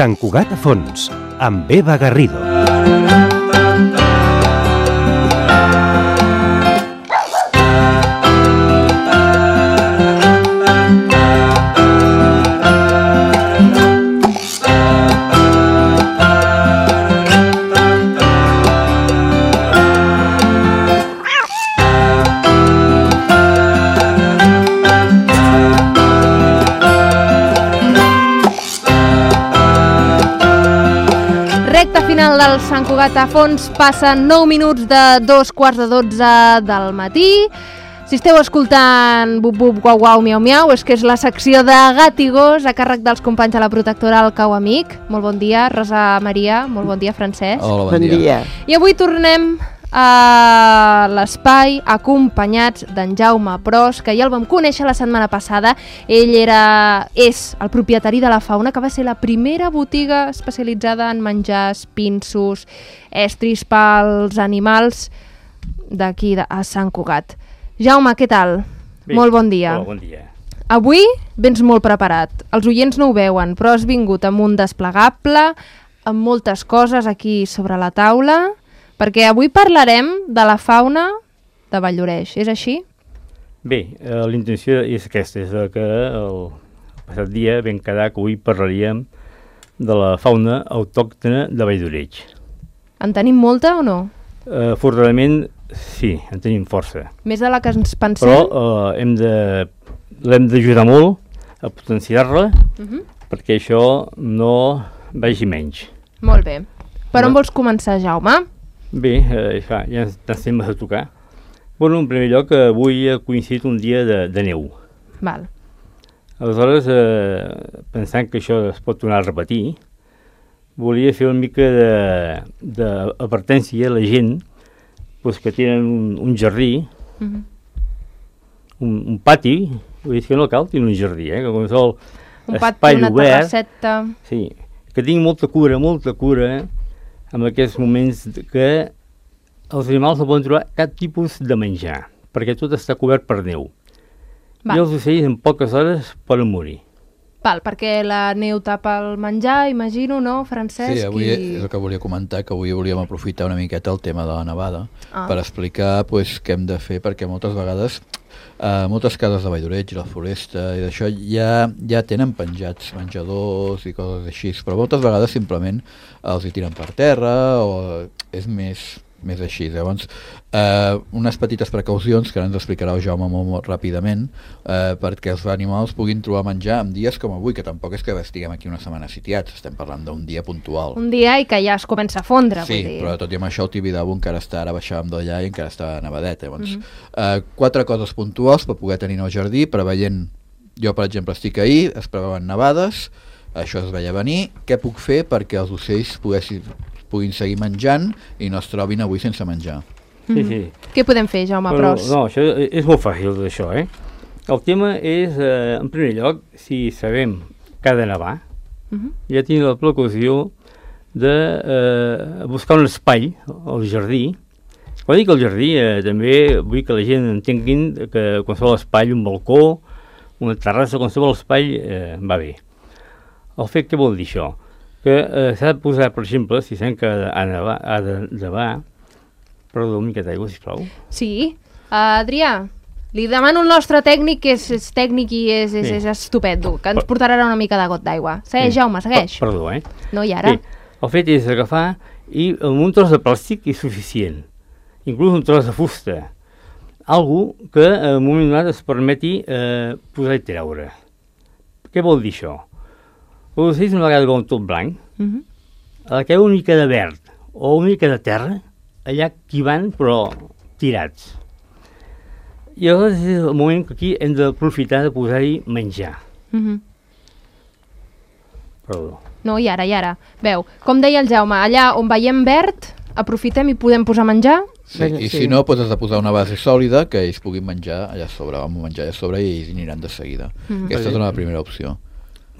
Sant Cugat a fons, amb Eva Garrido. Final del Sant Cugat a fons, passen 9 minuts de 2:15 del matí. Si esteu escoltant bup bup guau guau miau miau, és que és la secció de gat i gos a càrrec dels companys de la protectora El Cau Amic. Molt bon dia, Rosa Maria, molt bon dia, Francesc. Hola, bon dia. I avui tornem a l'espai acompanyats d'en Jaume Pros, que ja el vam conèixer la setmana passada. Ell és el propietari de La Fauna, que va ser la primera botiga especialitzada en menjars, pinsos, estris pels animals d'aquí a Sant Cugat. Jaume, què tal? Bé, molt bon dia. Hola, bon dia. Avui vens molt preparat. Els oients no ho veuen, però has vingut amb un desplegable, amb moltes coses aquí sobre la taula, perquè avui parlarem de la fauna de Valldoreix, és així? Bé, la intenció és aquesta, és que el passat dia vam quedar que avui parlaríem de la fauna autòctona de Valldoreix. En tenim molta o no? Afortunadament, sí, en tenim força. Més de la que ens pensem? Però l'hem d'ajudar molt a potenciar-la perquè això no vagi menys. Molt bé. Per on vols començar, Jaume? Bé, ja ens temes a tocar. Bueno, en primer lloc, avui ha coincidit un dia de neu. Val. Aleshores, pensant que això es pot tornar a repetir, volia fer una mica d'advertència a la gent que tenen un jardí, un pati, vull dir que no cal tenir un jardí, que qualsevol espai una obert, terrasseta. sí, que tingui molta cura en aquests moments que els animals no poden trobar cap tipus de menjar, perquè tot està cobert per neu. Val. I els ocells en poques hores poden morir. Val, perquè la neu tapa el menjar, imagino, no, Francesc? Sí, avui és el que volia comentar, que avui volíem aprofitar una miqueta el tema de la nevada per explicar què hem de fer, perquè moltes vegades moltes cases de Valldoreix i la Foresta i d'això ja tenen penjats menjadors i coses així, però moltes vegades simplement els hi tiren per terra o és més així. Llavors, unes petites precaucions que ara ens explicarà el Jaume molt ràpidament perquè els animals puguin trobar menjar en dies com avui, que tampoc és que estiguem aquí una setmana sitiats, estem parlant d'un dia puntual. Un dia i que ja es comença a fondre, sí, vull dir. però tot i amb això el Tibidabo encara està, ara baixàvem d'allà i encara està nevadet. Llavors, 4 coses puntuals per poder tenir el jardí, preveient, jo per exemple estic ahir, es preveuen nevades, això es veia venir, què puc fer perquè els ocells puguin seguir menjant i no es trobin avui sense menjar. Sí. Què podem fer, Jaume Pros? No, això és molt fàcil, això, El tema és, en primer lloc, si sabem que ha de nevar, ja tenim la precaució de buscar un espai al jardí. Quan dic al jardí, també vull que la gent entenguin que qualsevol espai, un balcó, una terrassa, qualsevol espai va bé. El fet, què vol dir això? Que s'ha de posar, per exemple, si sabem que ha de nevar, perdó, una miqueta d'aigua, sisplau. Sí. Adrià, li demano al nostre tècnic, que és tècnic i és estupendo, que ens portarà una mica de got d'aigua. Segueix, Jaume, segueix. Perdó, No, i ara? Bé, el fet és agafar i amb un tros de plàstic és suficient. Inclús un tros de fusta. Algo que en un moment donat es permeti posar i treure. Què vol dir això? Els ocells una vegada veuen tot blanc, a la que hi ha una mica de verd o una mica de terra, allà qui van, però tirats. I aleshores és el moment que aquí hem d'aprofitar de posar-hi menjar. Perdó. No, i ara. Veu, com deia el Jaume, allà on veiem verd, aprofitem i podem posar menjar? Sí, i si no, has de posar una base sòlida que ells puguin menjar allà sobre, i ells aniran de seguida. Aquesta és una primera opció.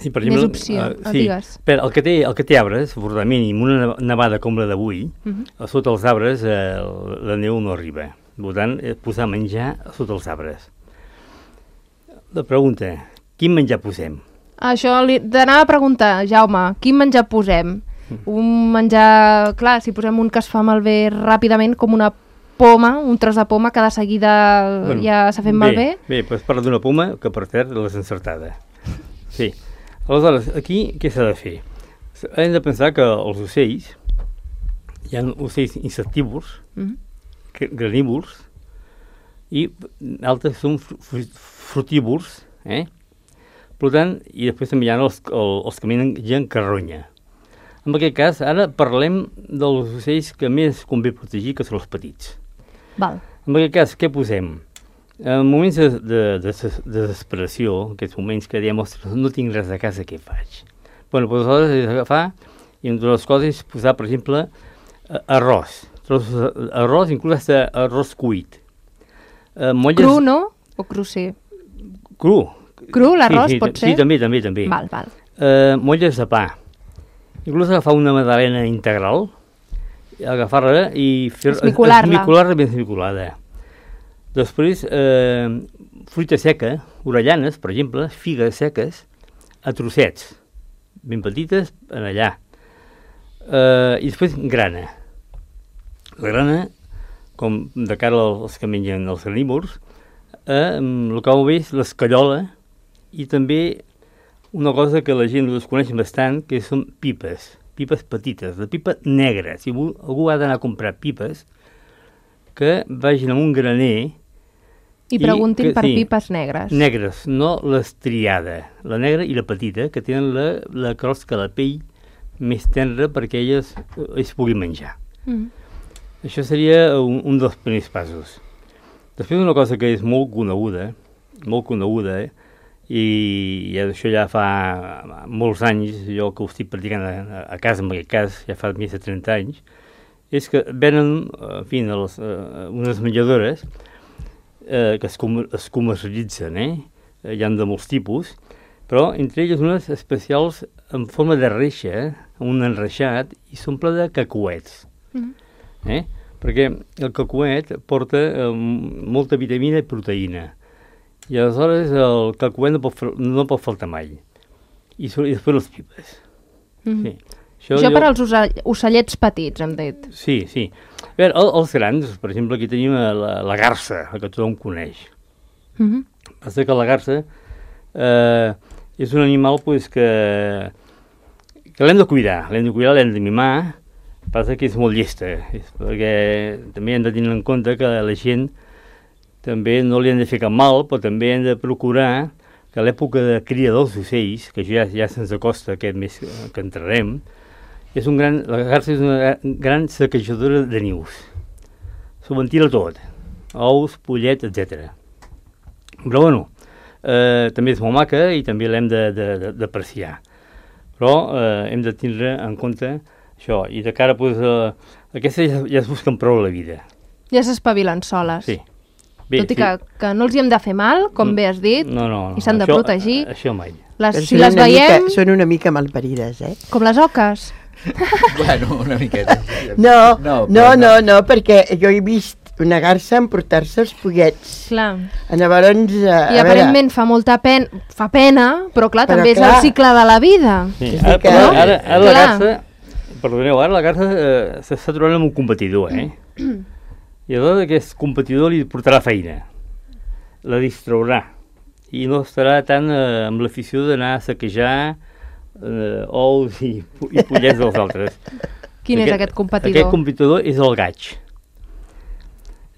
Sí, per exemple, Més opció, digues. Però el que té arbres, afortunadament, i amb una nevada com la d'avui, sota els arbres la neu no arriba. Per tant, posar menjar sota els arbres. La pregunta, quin menjar posem? Això t'anava a preguntar, Jaume, quin menjar posem? Un menjar, clar, si posem un que es fa malbé ràpidament, com una poma, un tros de poma que de seguida ja s'ha fet malbé? Bé, doncs parla d'una poma que per cert l'has encertada. Sí. Aleshores, aquí què s'ha de fer? Hem de pensar que els ocells, hi ha ocells insectívors, granívors, i altres són frutívors, Per tant, i després també hi ha els que mengen carronya. En aquest cas, ara parlem dels ocells que més convé protegir, que són els petits. Val. En aquest cas, què posem? En moments de desesperació, en aquests moments que diem, ostres, no tinc res a casa, què faig? Bé, doncs aleshores és agafar i entre les coses posar, per exemple, arròs. Arròs, inclús arròs cuit. Cru, no? O crucer? Cru. Cru, l'arròs, pot ser? Sí, també. Val. Molles de pa. Inclús agafar una magdalena integral, agafar-la i esmicolar-la ben esmicolada. Després, fruita seca, orellanes, per exemple, figues seques, a trossets, ben petites, en allà. I després grana. La grana, com de cara als que mengen els carnívors, el que ho ve és l'escarola i també una cosa que la gent ho desconeix bastant, que són pipes petites, de pipa negra. Si algú ha d'anar a comprar pipes, que vagin a un graner i preguntin per pipes negres. Negres, no l'estriada, la negra i la petita, que tenen la crosca, la pell més tendra perquè elles es puguin menjar. Això seria un dels primers passos. Després una cosa que és molt coneguda, i això ja fa molts anys, jo que ho estic practicant a casa, en aquest cas, ja fa més de 30 anys, és que venen, en fi, unes menjadores que es comercialitzen, hi ha de molts tipus, però entre elles unes especials en forma de reixa, un enreixat, i s'omple de cacauets. Perquè el cacauet porta molta vitamina i proteïna. I aleshores el cacauet no pot faltar mai. I després les pipes. Sí. Això per als ocellets petits, hem dit. Sí. A veure, els grans, per exemple, aquí tenim la garsa, la que tothom coneix. Passa que la garsa és un animal que l'hem de cuidar, l'hem de mimar. Passa que és molt llesta, perquè també hem de tenir en compte que la gent també no li han de fer cap mal, però també hem de procurar que a l'època de cria dels ocells, que ja se'ns acosta aquest mes que entrarem, la garsa és una gran saquejadora de nius. S'ho ventila tot, ous, pollet, etc. Però bueno, també és molt maca i també l'hem d'apreciar. Però hem de tindre en compte això, i de cara, aquestes ja es busquen prou a la vida. Ja s'espavilen soles. Sí. Tot i que no els hi hem de fer mal, com bé has dit, i s'han de protegir. Això mai. Si les veiem... Són una mica malparides, Com les oques. Bueno, una miqueta. No, perquè jo he vist una garsa emportar-se els pollets. Clar. Llavors, I aparentment fa molta pena, però clar, també és el cicle de la vida. Sí. Ara la garsa, perdoneu, ara la garsa s'està trobant amb un competidor, I aleshores aquest competidor li portarà feina, la distraurà, i no estarà tant amb l'afició d'anar a saquejar ous i pollets dels altres. Quin és aquest competidor? Aquest competidor és el gaig.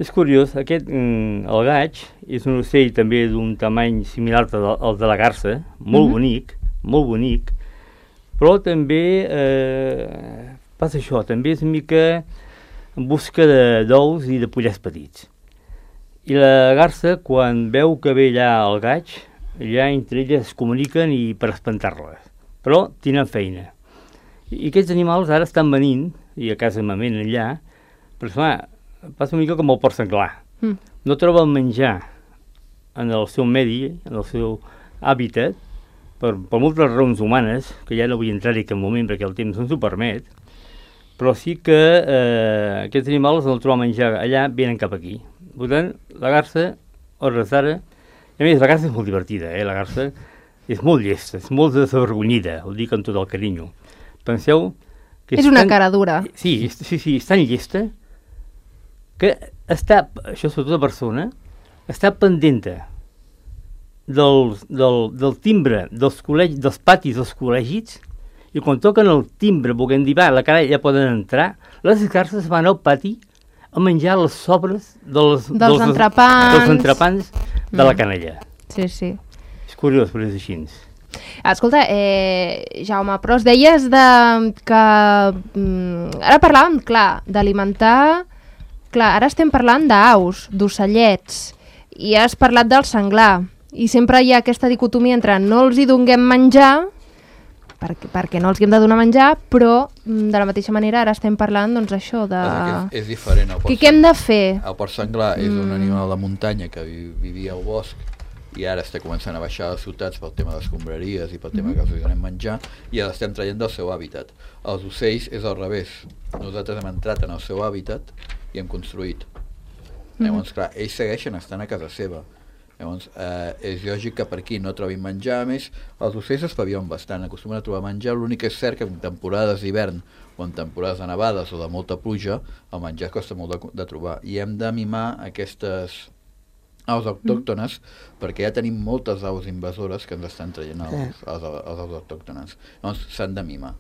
És curiós, el gaig és un ocell també d'un tamany similar al de la garsa, molt bonic, però també passa això, també és una mica en busca d'ous i de pollets petits. I la garsa, quan veu que ve allà el gaig, allà entre elles es comuniquen i per espantar-les. Però tenen feina. I aquests animals ara estan venint, i a casa m'amenen allà, però esclar, passa una mica com el porc senglar. No troben menjar en el seu medi, en el seu hàbitat, per moltes raons humanes, que ja no vull entrar-hi en cap moment perquè el temps no ens ho permet, però sí que aquests animals no troben menjar allà, venen cap aquí. Per tant, la garsa, a hores d'ara, a més, la garsa és molt divertida, la garsa, és molt llesta, és molt desavergonyida, ho dic amb tot el carinyo. Penseu que és una cara dura. Sí, és tan llesta que està, això és tota persona, està pendenta del timbre dels patis dels col·legis, i quan toquen el timbre, volguem dir, la cara ja poden entrar, les garces van al pati a menjar les sobres dels entrepans de la canalla. Sí, sí. És curiós, però és així. Escolta, Jaume, però es deies que... ara parlàvem, clar, d'alimentar... Clar, ara estem parlant d'aus, d'ocellets, i has parlat del senglar, i sempre hi ha aquesta dicotomia entre no els hi donem menjar, perquè no els hi hem de donar menjar, però de la mateixa manera ara estem parlant, doncs, això de... És diferent. Què hem de fer? El porc senglar és un animal de muntanya que vivia al bosc i ara està començant a baixar a les ciutats pel tema de les escombraries i pel tema que els donem menjar, i ara l'estem traient del seu hàbitat. Els ocells és al revés. Nosaltres hem entrat en el seu hàbitat i hem construït. Llavors, clar, ells segueixen estant a casa seva. Llavors, és lògic que per aquí no trobin menjar. A més, els ocells espavilen bastant, acostumen a trobar menjar. L'únic que és cert que en temporades d'hivern o en temporades de nevades o de molta pluja, el menjar costa molt de trobar. I hem de mimar aquestes aus autòctones, perquè ja tenim moltes aus invasores que ens estan traient els aus autòctones. Llavors, s'han de mimar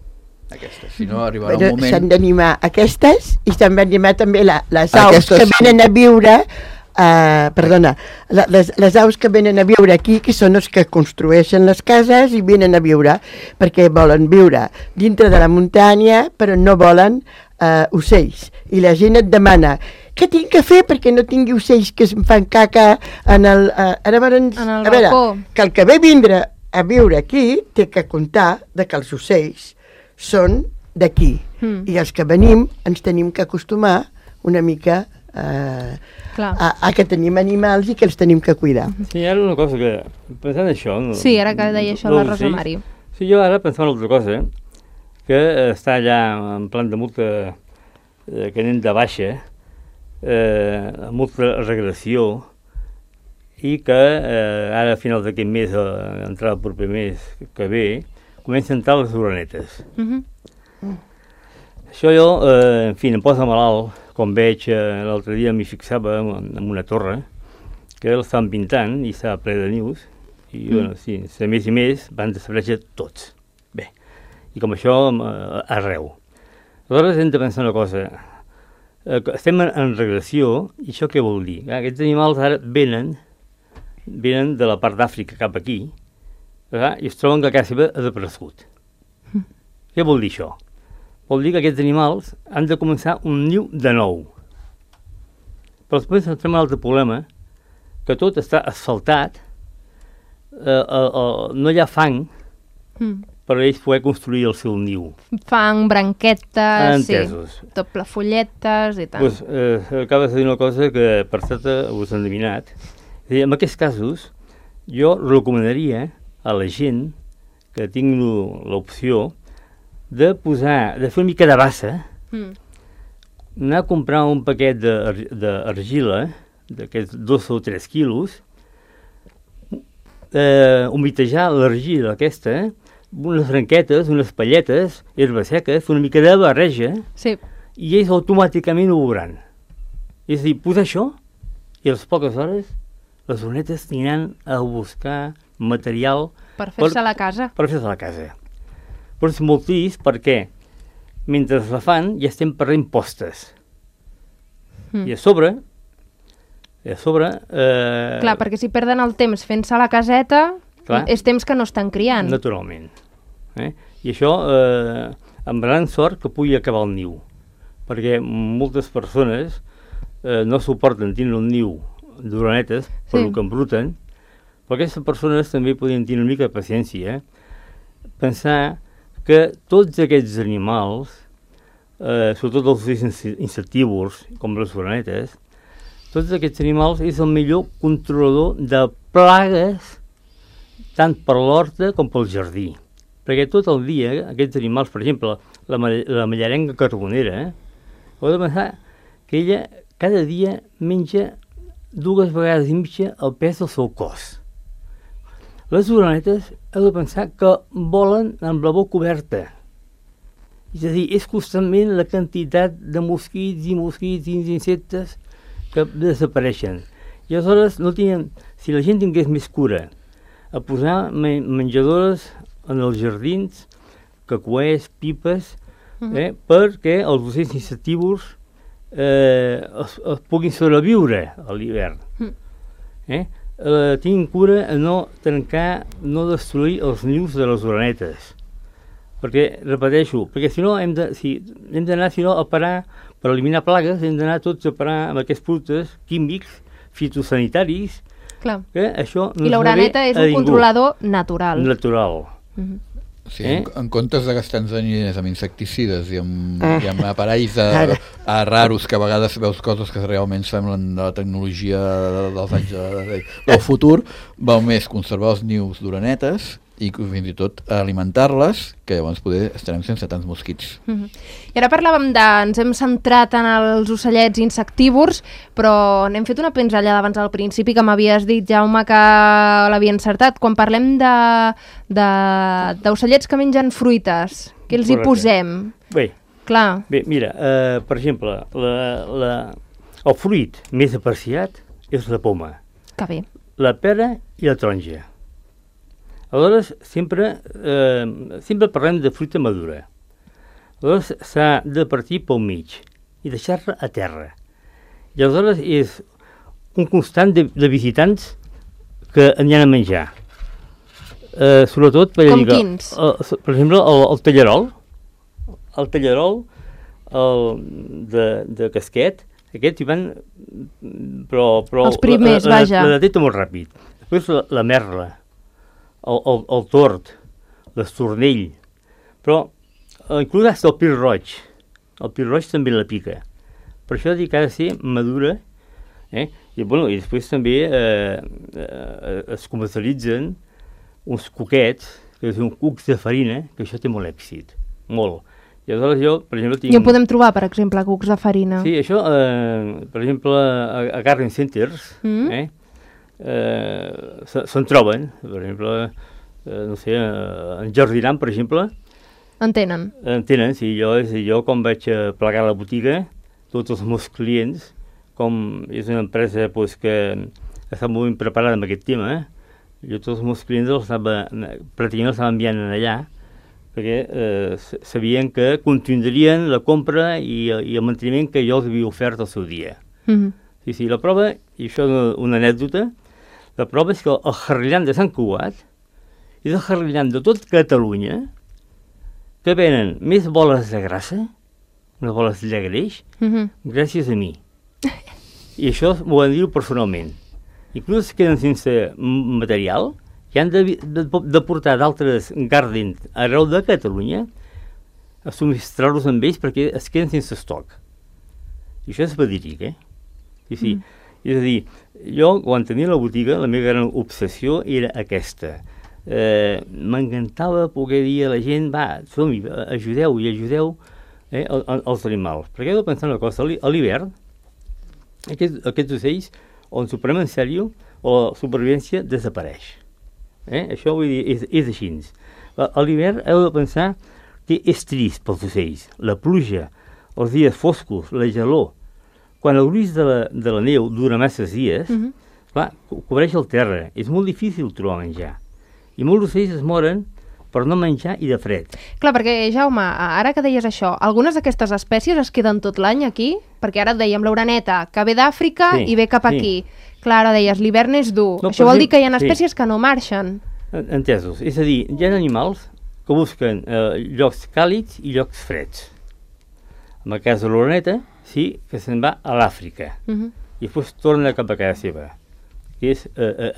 aquestes. Si no, arribarà un moment... S'han d'animar aquestes i s'han d'animar també les aus que venen a viure... les aus que venen a viure aquí, que són els que construeixen les cases i venen a viure, perquè volen viure dintre de la muntanya, però no volen ocells. I la gent et demana, què tinc que fer perquè no tingui ocells que em fan caca en el... balcó. Que el que ve vindre a viure aquí té que comptar de que els ocells són d'aquí. I els que venim ens tenim que acostumar una mica a que tenim animals i que els tenim que cuidar. Sí, ara una cosa que... Pensant això... Sí, ara que deia això la Rosa Mari. Sí, jo ara pensava una altra cosa, que està allà en plan de molta... que anem de baixa, amb molta regressió, i que ara a finals d'aquest mes, entrar el proper mes que ve, comencen a entrar les orenetes. Això jo, en fi, em posa malalt, com veig, l'altre dia m'hi fixava en una torre, que l'estan pintant i estava ple de nius, i bueno, sí, a més i més van desaparèixer tots. Bé, i com això arreu. Aleshores hem de pensar una cosa, estem en regressió, i això què vol dir? Aquests animals ara venen de la part d'Àfrica cap aquí, i es troben que la casa seva ha desaparegut. Què vol dir això? Vol dir que aquests animals han de començar un niu de nou. Però després ens trobem un altre problema, que tot està asfaltat, no hi ha fang per a ells poder construir el seu niu. Fang, branquetes, entesos. Sí, doble folletes i tant. Pues, acabes de dir una cosa que per cert us han endevinat. En aquests casos, jo recomanaria a la gent que tingui l'opció de fer una mica de bassa, anar a comprar un paquet d'argila, d'aquests 2 o 3 quilos, humitejar l'argila aquesta, unes branquetes, unes palletes, herba seca, fer una mica de barreja, i ells automàticament ho veuran. És a dir, posar això, i a les poques hores les orenetes aniran a buscar material per fer-se a la casa. Per fer-se a la casa. Però és molt trist perquè mentre la fan ja estem perdent postes. I a sobre... Clar, perquè si perden el temps fent-se a la caseta, és temps que no estan criant. Naturalment. I això, amb gran sort que pugui acabar el niu, perquè moltes persones no suporten tindre un niu d'orenetes per el que embruten, però aquestes persones també podien tenir una mica de paciència, pensar que tots aquests animals, sobretot els insectívors, com les orenetes, tots aquests animals és el millor controlador de plagues tant per l'horta com pel jardí. Perquè tot el dia aquests animals, per exemple, la mallarenga carbonera, heu de pensar que ella cada dia menja 2 vegades i mitja el pes del seu cos. Les orenetes heu de pensar que volen amb la boca oberta. És a dir, és constantment la quantitat de mosquits i insectes que desapareixen. I aleshores no tenen, si la gent tingués més cura a posar menjadores en els jardins, cacuers, pipes, perquè els ocells insectívors es puguin sobreviure a l'hivern. Tinguin cura a no trencar, no destruir els nius de les orenetes. Perquè, repeteixo, perquè si no hem d'anar a parar, per eliminar plagues, hem d'anar tots a parar amb aquests productes químics, fitosanitaris, Clar. que això no I l'oreneta és un controlador natural. Natural. Sí, en comptes de gastar-nos diners amb insecticides i amb aparells raros, que a vegades veus coses que realment semblen de la tecnologia dels anys del futur, val més conservar els nius d'orenetes i fins i tot alimentar-les, que llavors poder estarem sense tants mosquits. I ara parlàvem ens hem centrat en els ocellets insectívors, però n'hem fet una pinzellada abans al principi que m'havies dit, Jaume, que l'havia encertat. Quan parlem d'ocellets que mengen fruites, què els hi posem? Bé, mira, per exemple, el fruit més apreciat és la poma, Que bé. la pera i la taronja. Aleshores, sempre parlem de fruita madura. Aleshores, s'ha de partir pel mig i deixar-la a terra. I aleshores és un constant de visitants que aniran a menjar. Sobretot, com quins? Per exemple, el tallarol. El tallarol de casquet, aquests hi van... Però els primers, vaja. La detecta molt ràpid. Després la merla. El tord, l'estornell, però inclús el pil roig. El pil roig també la pica. Per això dic que ha de ser madura, i després també es comercialitzen uns cuquets, que són cucs de farina, que això té molt èxit, molt. I aleshores jo, per exemple, tinc... I on podem trobar, per exemple, cucs de farina? Sí, això, per exemple, a Garden Centers, se'n troben, per exemple, no sé, en Jardinant, per exemple. En tenen? En tenen, sí. Jo quan vaig plegar la botiga, tots els meus clients, com és una empresa que està molt ben preparada amb aquest tema, jo tots els meus clients pràcticament els estava enviant allà, perquè sabien que continuarien la compra i el manteniment que jo els havia ofert al seu dia. Sí, la prova, i això és una anècdota, la prova és que el jarrillant de Sant Cugat és el jarrillant de tot Catalunya que venen més boles de grassa, unes boles de greix, gràcies a mi. I això m'ho van dir personalment. Inclús es queden sense material i han de portar d'altres gardens arreu de Catalunya a subministrar-los amb ells perquè es queden sense estoc. I això és verídic, Sí. És a dir, jo, quan tenia la botiga, la meva gran obsessió era aquesta. M'encantava poder dir a la gent, som-hi, ajudeu els animals. Perquè he de pensar una cosa, a l'hivern, aquests ocells, on s'ho prenem en sèrio, la supervivència desapareix. Això vull dir, és així. A l'hivern heu de pensar que és trist pels ocells. La pluja, els dies foscos, la gelor. Quan el gruix de la neu dura masses dies, cobreix el terra. És molt difícil trobar menjar. I molts ocells es moren per no menjar i de fred. Clar, perquè, Jaume, ara que deies això, algunes d'aquestes espècies es queden tot l'any aquí? Perquè ara et dèiem l'oreneta, que ve d'Àfrica i ve cap aquí. Clar, ara deies, l'hivern és dur. Això vol dir que hi ha espècies que no marxen. Entesos. És a dir, hi ha animals que busquen llocs càlids i llocs freds. En el cas de l'oreneta, sí que se'n va a l'Àfrica. I després torna cap a casa seva, que és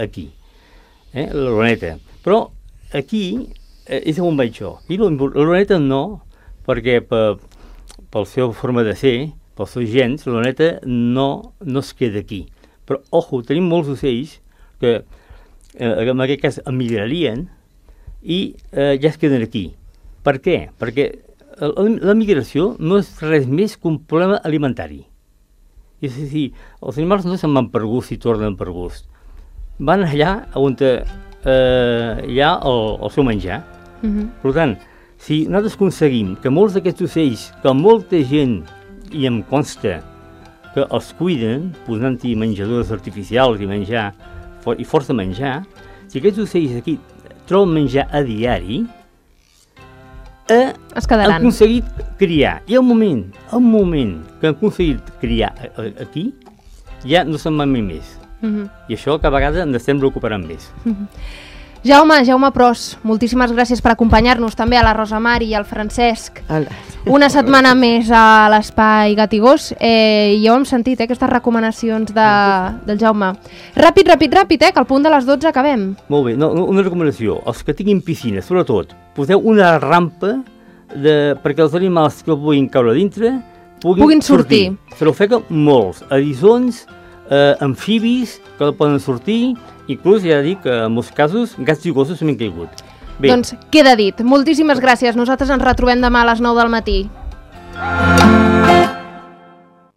aquí. L'oreneta. Però aquí és on vaig jo. I l'oreneta no, perquè per la seva forma de ser, pels seus gens, l'oreneta no es queda aquí. Però, ojo, tenim molts ocells que en aquest cas emigrarien i ja es queden aquí. Per què? Perquè la migració no és res més que un problema alimentari. És a dir, els animals no se'n van per gust i tornen per gust. Van allà on hi ha el seu menjar. Per tant, si nosaltres aconseguim que molts d'aquests ocells, que molta gent, i em consta, que els cuiden, posant-hi menjadors artificials i menjar, i força menjar, si aquests ocells aquí troben menjar a diari, han aconseguit criar. I al moment que han aconseguit criar aquí, ja no se'n van més. I això cada vegada ens estem recuperant més. Jaume Pros, moltíssimes gràcies per acompanyar-nos també a la Rosa Mari i al Francesc. Una setmana més a l'Espai Gat i Gos. Ja ho hem sentit, aquestes recomanacions del Jaume. Ràpid, que al punt de les 12 acabem. Molt bé, una recomanació. Els que tinguin piscina, sobretot, poseu una rampa perquè els animals que puguin caure dintre puguin sortir. Se n'ofeguen molts, eriçons, amfibis que poden sortir, inclús ja dic que en molts casos gats i gossos s'han caigut. Bé. Doncs queda dit. Moltíssimes gràcies. Nosaltres ens retrobem demà a les 9 del matí.